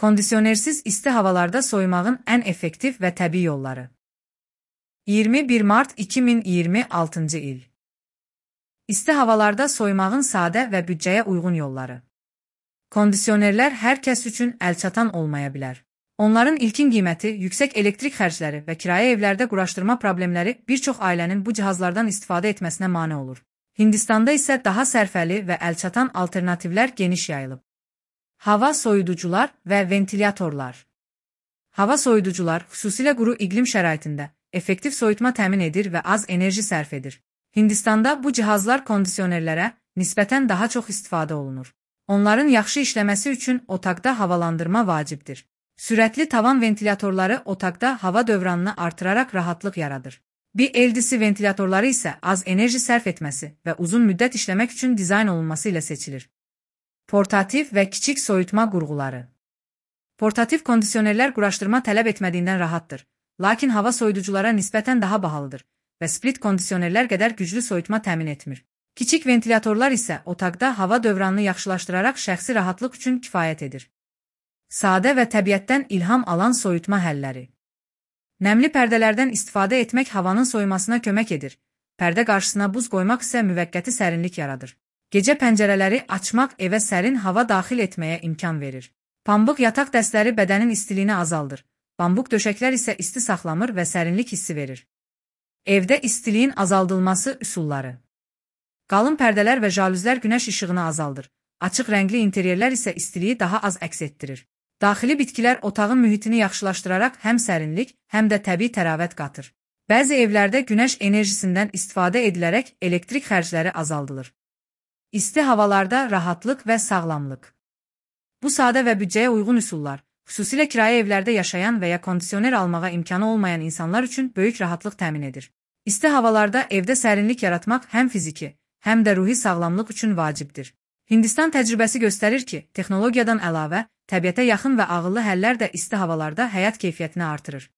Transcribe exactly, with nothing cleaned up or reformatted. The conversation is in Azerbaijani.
Kondisionersiz isti havalarda soyumağın ən effektiv və təbii yolları. iyirmi bir mart iki min iyirmi altıncı il. İsti havalarda soyumağın sadə və büdcəyə uyğun yolları. Kondisionerlər hər kəs üçün əlçatan olmaya bilər. Onların ilkin qiyməti, yüksək elektrik xərcləri və kirayə evlərdə quraşdırma problemləri bir çox ailənin bu cihazlardan istifadə etməsinə mane olur. Hindistanda isə daha sərfəli və əlçatan alternativlər geniş yayılıb. Hava soyuducular və ventilatorlar. Hava soyuducular xüsusilə quru iqlim şəraitində effektiv soyutma təmin edir və az enerji sərf edir. Hindistanda bu cihazlar kondisionerlərə nisbətən daha çox istifadə olunur. Onların yaxşı işləməsi üçün otaqda havalandırma vacibdir. Sürətli tavan ventilatorları otaqda hava dövranını artıraraq rahatlıq yaradır. B L D C ventilatorları isə az enerji sərf etməsi və uzun müddət işləmək üçün dizayn olunması ilə seçilir. Portativ və kiçik soyutma qurğuları. Portativ kondisionerlər quraşdırma tələb etmədiyindən rahatdır, lakin hava soyuduculara nisbətən daha bahalıdır və split kondisionerlər qədər güclü soyutma təmin etmir. Kiçik ventilatorlar isə otaqda hava dövranını yaxşılaşdıraraq şəxsi rahatlıq üçün kifayət edir. Sadə və təbiətdən ilham alan soyutma həlləri. Nəmli pərdələrdən istifadə etmək havanın soyumasına kömək edir. Pərdə qarşısına buz qoymaq isə müvəqqəti sərinlik yaradır. Gecə pəncərələri açmaq evə sərin hava daxil etməyə imkan verir. Pambıq yataq dəstləri bədənin istiliyini azaldır. Bambuq döşəklər isə isti saxlamır və sərinlik hissi verir. Evdə istiliyin azaldılması üsulları. Qalın pərdələr və jalüzlər günəş işığını azaldır. Açıq rəngli interyerlər isə istiliyi daha az əks etdirir. Daxili bitkilər otağın mühitini yaxşılaşdıraraq həm sərinlik, həm də təbii təravət qatır. Bəzi evlərdə günəş enerjisindən istifadə edilərək elektrik xərcləri azaldılır. İsti havalarda rahatlıq və sağlamlıq. Bu sadə və büdcəyə uyğun üsullar, xüsusilə kirayə evlərdə yaşayan və ya kondisioner almağa imkanı olmayan insanlar üçün böyük rahatlıq təmin edir. İsti havalarda evdə sərinlik yaratmaq həm fiziki, həm də ruhi sağlamlıq üçün vacibdir. Hindistan təcrübəsi göstərir ki, texnologiyadan əlavə, təbiətə yaxın və ağıllı həllər də isti havalarda həyat keyfiyyətini artırır.